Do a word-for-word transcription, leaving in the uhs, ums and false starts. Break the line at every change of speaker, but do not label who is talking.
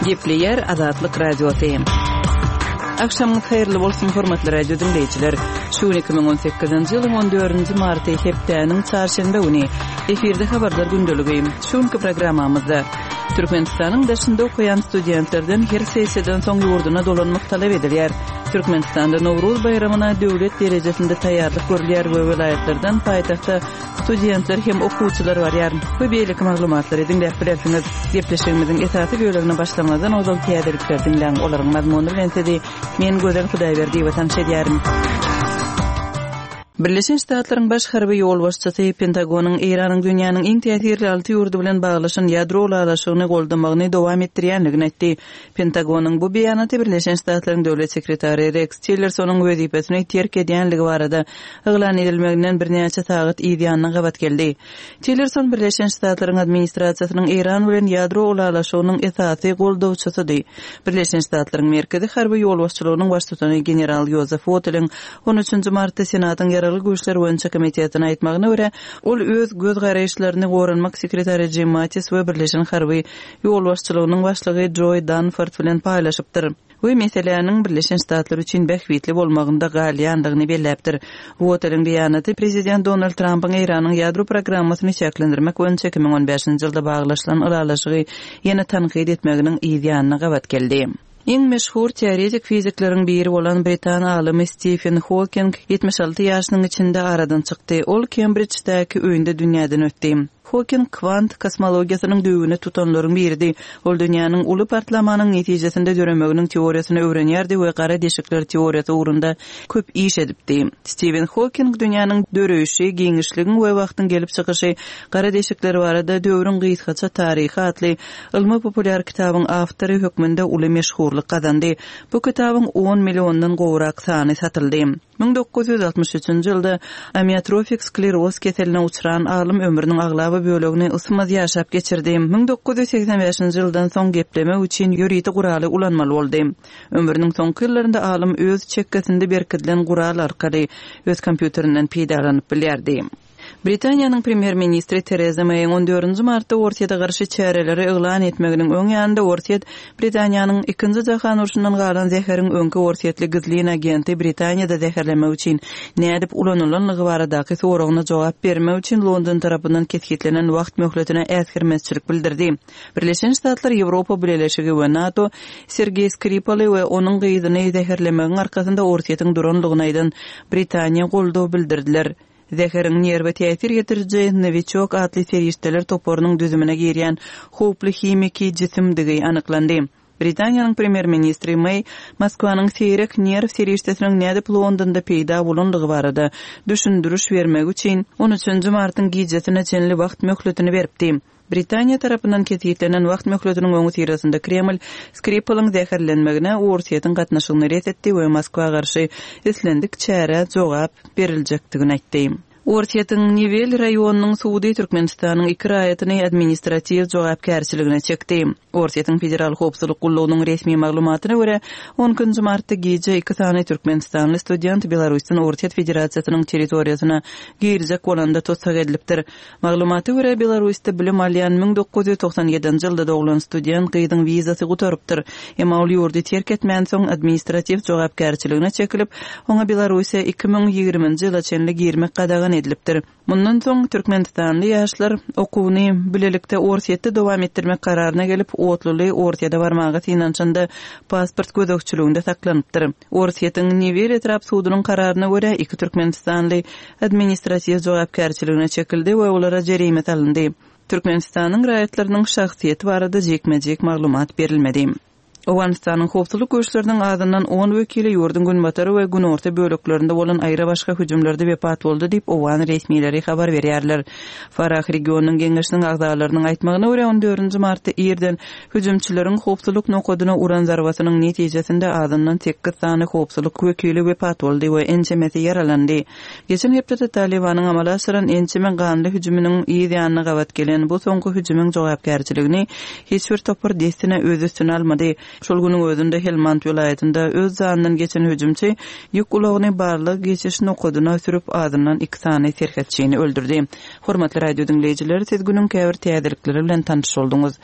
Gepleýär Azatlyk Radiosy. Agşamyňyz haýyrly bolsun, hormatly radio diňleýjiler. Şu gün iki müň on sekizinji ýylyň on dördünji marty, hepdäniň çarşenbe güni. Efirde habarlar gündeligi. Şu günki programmamyzda Türkmenistanyň daşynda okaýan studentlerden her sessiýadan soň ýurduna dolanmak talap edilýär. Türkmenistanda Nowruz baýramyna döwlet derejesinde taýýarlyk görülýär we welaýatlardan paýtagta studentler hem okuwçylar barýar. We beýleki maglumatlary diňläp bilersiňiz. Gepleşigimiziň esasy bölegine başlamazdan ozal täzelikleri diňläň. Olaryň mazmuny bilen sizi men Gözel Hudaýberdiýewa tanyş edýärin. Birleşen Ştatlaryň baş harby ýolbaşçysy Pentagonyň Eýranyň dünýäniň iň täsirli alty ýurdy bilen baglaşan ýadro ylalaşygyny goldamagyny dowam etdirýänligini aýtdy. Pentagonyň bu beýanaty Birleşen Ştatlaryň döwlet sekretary Rex Tillersonyň wezipesini terk edýänligi barada yglan edilmeginden birnäçe sagat yz ýanyna gabat geldi. Tillerson Birleşen Ştatlaryň administrasiýasynyň Eýran bilen ýadro ylalaşygynyň esasy goldawçysydy. Birleşen Ştatlaryň Merkezi harby ýolbaşçylygynyň baştutany general Joseph Woteliň on üçünji martda Senatyň ýaragly güýçler boýunça komitetine aýtmagyna görä, ol öz göz garaýyşlaryny goranmak sekretary Jim Mattis we Birleşen harby ýolbaşçylygynyň başlygy Joe Dunford bilen paýlaşypdyr. We meseläniň Birleşen Ştatlar üçin bähbitli bolmagynda galýandygyny belläpdir. Woteliň beýanaty Prezident Donald Trumpyň Eýranyň ýadro programmasyny çäklendirmek boýunça iki müň on bäşinji ýylda baglaşylan ylalaşygy ýene tankyt etmeginiň yz ýanyna gabat geldi. Iň meşhur teoretik fizikleriň biri bolan Britan alymy Stephen Hawking ýetmiş alty ýaşynyň içinde aradan çykdy. Ol Kembridždäki öýünde dünýäden ötdi. Hawking kwant kosmologiýasynyň düýbüni tutanlaryň biridi. Ol dünýäniň uly partlamanyň netijesinde döremeginiň teoriýasyny öwrenýärdi we gara deşikler teoriýasy ugrunda köp iş edipdi. Stephen Hawking dünýäniň döreýşi, giňişligiň we wagtyň gelip çykyşy, gara deşikler barada döwrüň gysgaça taryhy atly ylmy populýar kitabyň awtory hökmünde uly meşhurlyk gazandy. Bu kitabyň on milliondan gowrak sany satyldy. Müň dokuz ýüz altmyş üçünji ýylda amiotrofik skleroz keseline uçran alym ömrüniň aglaba bölegini ysmaz ýaşap geçirdi. Müň dokuz ýüz segsen bäşinji ýyldan soň geplemek üçin ýörite guraly ulanmaly boldy. Ömrüniň soňky ýyllarynda alym öz çekgesinde berkidilen gural arkaly öz kompýuterinden peýdalanyp bilýärdi. Britaniýanyň premýer-ministri Tereza Meýiň on dördünji martda Orsýete garşy çäreleri yglan etmeginiň öň ýanynda Orsýet Britaniýanyň ikinji jahan urşundan galan zäheriň öňki orsýetli gizlin agenti Britaniýada zäherlemek üçin nädip ulanylanlygy baradaky soragyna jogap bermek üçin London tarapyndan kesgitlenen wagt möhletine äsgermezçilik bildirdi. Birleşen Ştatlar, Ýewropa Bileleşigi we NATO Sergey Skripaly we onuň gyzyny zäherlemegiň arkasynda Orsýetiň duranlygyny aýdan Britaniýa goldaw bildirdiler. Zäheriň nerwe täsir getiriji Novichok atly serişdeler toparynyň düzümine girýän howply himiki jisimdigi anyklandy. Britaniýanyň premýer-ministri May Moskwanyň seýrek nerw serişdesiniň nädip Londonda peýda bolanlygy barada düşündiriş bermek üçin on üçünji martyň gijesine çenli wagt möhletini beripdi. Britaniýa tarapyndan kesgitlenen wagt möhletiniň öňüsyrasynda Kreml Skripalyň zäherlenmegine Orsýetiň gatnaşygyny ret etdi we Moskwa garşy islendik çärä jogap beriljekdigini aýtdy. Orsýetiň Nivel raýonynyň sudy Türkmenistanyň iki raýatyny administratiw jogapkärçiligine çekdi. Orsýetiň Federal Howpsuzlyk gullugynyň resmi maglumatyna görä, on ikinji martda gije iki sany türkmenistanly student Belarusdan Orsýet Federasiýasynyň territoriýasyna girjek bolanda tussag edilipdir. Maglumata görä, Belarusda bilim alýan müň dokuz ýüz togsan ýedinji ýylda doglan student gyzyň wizasy gutarypdyr. Emma ol ýurdy terk etmän soň administratiw jogapkärçiligine çekilip, oňa Belarusiýa iki müň ýigriminji ýyla çenli girmek gadagan edilipdir. Mundan soň Türkmenistanly ýaşlar okuwyny bilelikde Orsýetde dowam etdirmek kararyna gelip, otluly Orsýete barmaga synanyşanda pasport gözegçiliginde saklanypdyr. Orsýetiň Nivel etrap sudunyň kararyna görä iki türkmenistanly administratiw jogapkärçiligine çekildi we olara jerime salyndy. Türkmenistanyň raýatlarynyň şahsyýeti barada jikme-jik maglumat berilmedi. Owganystanyň howpsuzlyk güýçleriniň azyndan on wekili ýurduň günbatary we günorta böleklerinde bolan aýry başga hüjümlerde wepat boldy diýip Owgan resmileri habar berýärler. Farah regionynyň geňeşiniň agzalarynyň aýtmagyna görä on dördünji martda irden hüjümçileriň howpsuzlyk nokadyna uran zarbasynyň netijesinde azyndan sekiz sany howpsuzlyk wekili wepat boldy we ençemesi ýaralandy. Geçen hepdede Talibanyň amala aşyran ençeme ganly hüjüminiň yz ýanyna gabat gelen bu soňky hüjümiň jogapkärçiligini hiç bir topar dessine öz üstüne almady. Şol günüň özünde Helmand welaýatynda öz zanyndan geçen hüjümçi ýük ulagyny barlyk geçiş nokadyna sürüp azyndan iki sany serhetçini öldürdi. Hormatly radio diňleýjiler, siz günüň käbir täzelikleri bilen tanyş bolduňyz.